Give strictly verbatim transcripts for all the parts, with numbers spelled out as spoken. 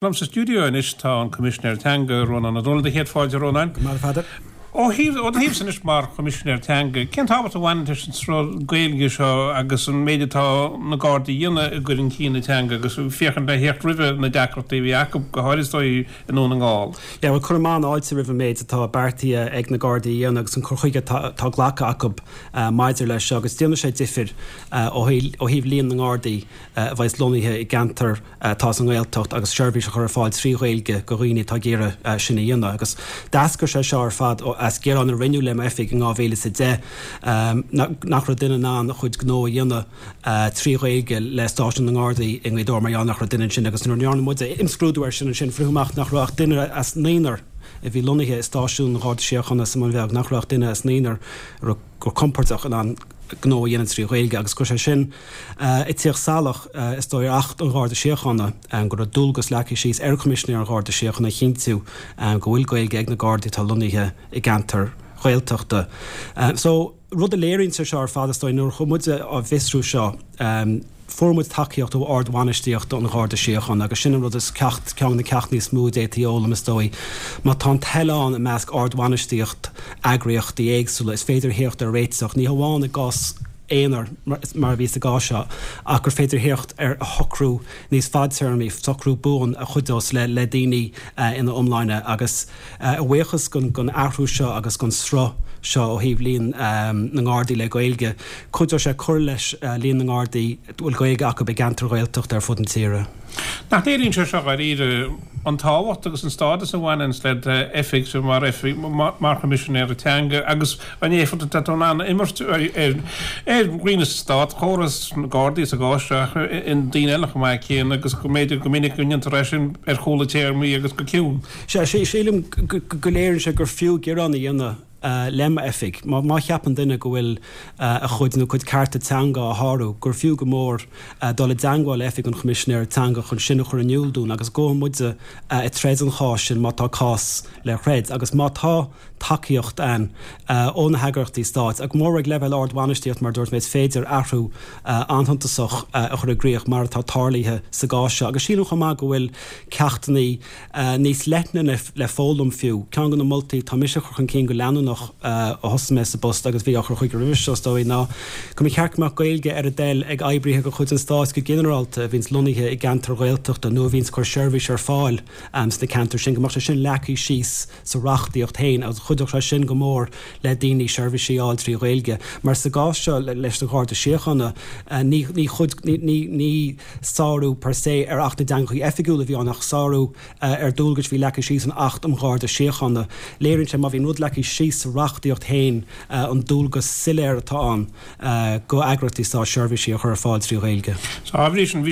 Liom sa stiúideo anois tá an Coimisinéir Teanga, Rónán Ó Domhnaill. Do chéad fáilte, a Rónáin. Go maith, a Pheadair. Ó thaobh, ó do thaobhsa anois mar Choimisinéir Teanga, cén tábhacht a bhaineann leis an sruth Gaeilge seo agus an méid atá na Gardaí a dhéanamh i gcur chun cinn na teanga agus féachaint le theacht roimhe na deacrachtaí a bhí acu, go háirid is dóigh i nDún na nGall? Yeah, bhuel, cuirim an-fháilte roimh an méid atá beartaithe ag na Gardaí a dhéanamh agus an cur chuige atá, atá glactha acu maidir leis seo agus déanfaidh sé difir ó thaobh líon na nGardaí a bheas lonnaithe i gceantar atá sa nGaeltacht agus seirbhís a chur ar fáil trí Ghaeilge go dhaoine atá ag iarraidh sin a dhéanamh. Agus d'eascair sé seo ar fad as gearán a rinneadh le m'oifig in dhá mhíle is a deich nach raibh duine in ann a chuid gnó a dhéanamh trí Ghaeilge le stáisiún na nGardaí i nGaoth Dobhair mar gheall nach raibh duine ansin agus nuair a ndearna muid imscrúdú air sin ansin fuarthas amach nach raibh ach duine as naonúr a bhí lonnaithe i stáisiún an Gharda Síochána sa mBun Bheag, nach raibh ach duine as naonúr a raibh go compordach in ann gnó a dhéanamh trí Ghaeilge agus go raibh sé sin ag tíocht salach, is dóigh, ar Acht an Gharda Síochána, go raibh dualgas leagtha síos ar Choimisinéir an Gharda Síochána a chinntiú go bhfuil Gaeilge ag na Gardaí atá lonnaithe i gceantair Ghaeltachta. So, rud a léiríonn sé seo ar fad, is dóigh, nuair a chuaigh muide á bhfiosrú seo, Fuair muid tacaíocht ó ard-bhainistíocht an Gharda Síochána agus sin an rud is ceacht, ceann de na ceachtanna is mó a d'fhéadfaí a fhoghlaim is dóigh. Má tá an toil ann i measc ard-bhainistíocht eagraíochtaí éagsúla is féidir theacht ar réiteach, ní hamháin i gcás aonair mar a bhí sa gcás seo, ach gur féidir theacht ar shocrú níos fadtéarmaí, socrú buan a chuideos le le daoine ina iomláine agus a bhuíochas don athrú seo agus don sruth seo ó thaobh líon na nGardaí le Gaeilge. Cuideoidh sé cur leis líon na nGardaí a bhfuil Gaeilge acu i gceantair Ghaeltachta ar fud na tíre. Nach léiríonn sé seo dháiríre an tábhacht agus an stádas a bhaineann le d'oifigse mar oifig mar Choimisinéir Teanga agus an éifeacht atá tú in ann a imirt ar ar dhaoine sa státchóras, na Gardaí sa gcás seo ach daoine eile chomh maith céanna agus go mb'fhéidir go minic go ndéantar é sin ar chúla téarmaí agus go ciúin. Sea, sílim go léiríonn sé gur fiú gearán a dhéanamh le m'oifig. Má cheapann duine go bhfuil a chuid nó a cuid cearta teanga á shárú, gur fiú go mór dul i dteangmháil le Oifig an Choimisinéara Teanga chun sin a chur in iúl dúinn agus gabhfaidh muide ag troid an cháis sin má tá cás le throid. Agus má tá tacaíocht ann ó na heagraíochtaí stáit, go mór ag leibhéal ard-bhainistíocht mar a dúirt mé, is féidir athrú an-shuntasach a chur i gcrích mar atá tarlaithe sa gcás seo. Agus sílim chomh maith go bhfuil ceachtanna níos leithne le foghlaim fiú. Ceann de na moltaí atá mise a chur chun cinn go leanúnach ó thosaigh mé sa bpost agus bhí á chur chuige roimhe seo is dóigh ná go mba cheart go mbeadh Gaeilge ar a dtoil ag oibrithe de chuid an stáit go ginearálta a bhíonns lonnaithe i gceantair Ghaeltachta nó a bhíonns ag cur seirbhís ar fáil sna ceantair sin, go mbeadh sé sin leagtha síos sa reachtaíocht féin agus chuideodh sé sin go mór le daoine seirbhísí a fháil trí Ghaeilge. Mar sa gcás seo leis an Gharda Síochána ní chuid ní ní sárú per se ar Acht na dTeangacha Oifigiúla a bhí ann ach sárú ar dualgais a bhí leagtha síos san Acht um Gharda Síochána. Léiríonn sé má bhíonn rud leagtha síos sa reachtaíocht féin an dualgas soiléir atá ann go eagraíochtaí stáit seirbhísí a chur ar fáil trí Ghaeilge. Dá bhrí sin,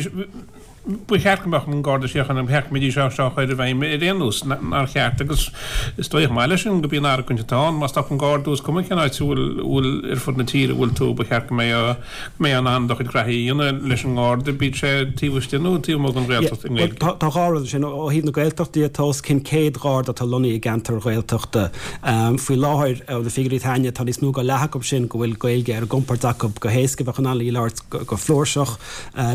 ba cheart go mbeadh an Garda Síochána, ba cheart go mbeidís á seo a chur i bhfeidhm ar aon nós, nár cheart? Agus is dóigh chomh maith leis sin go b'í an argóint atá ann, má stopann Garda thú, is cuma cén áit a bhfuil ar fud na tíre a bhfuil tú, ba cheart go mbeadh go mbeifeá in ann do chuid graithí a dhéanamh leis an nGarda, bíodh sé taobh istigh nó taobh amuigh den Ghaeltacht i nGaeilge. Tá dhá rud ansin. Ó thaobh na Gaeltachta de, tá os cionn céad Gharda atá lonnaithe i gceantair Ghaeltachta faoi láthair. Ó na figiúirí atá againne, tá níos mó ná leath acu sin go bhfuil Gaeilge ar a gcompord acu go héasca, bheadh in ann í a labhairt go flúirseach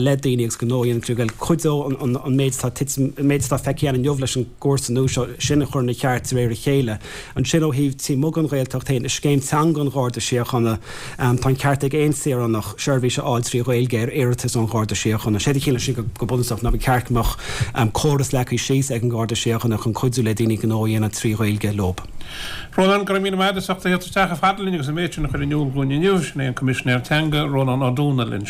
le daoine agus gnó a dhéanamh trí Ghaeilge. Cuideoidh an méid atá an méid atá feicthe againn inniu leis an gcúrsa nua seo sin a chur ina cheart de réir a chéile. Ansin ó thaobh taobh amuigh den Ghaeltacht féin, i Scéim Teanga an Gharda Síochána, tá an ceart ag aon saoránach seirbhís a fháil trí Ghaeilge ar iarratas ón Gharda Síochána. Séard a chiallaíonn sin go bunúsach ná ba cheart go mbeadh córas leagtha síos ag an Gharda Síochána chun cuidiú le daoine gnó a dhéanamh trí Ghaeilge leo. Rónán, Go raibh míle maith agat as ucht a theacht isteach chomh fada linn agus an méid sin a chur in iúl dhúinn inniu. Sin é an Coimisinéir Teanga, Rónán Ó Domhnaill ansin.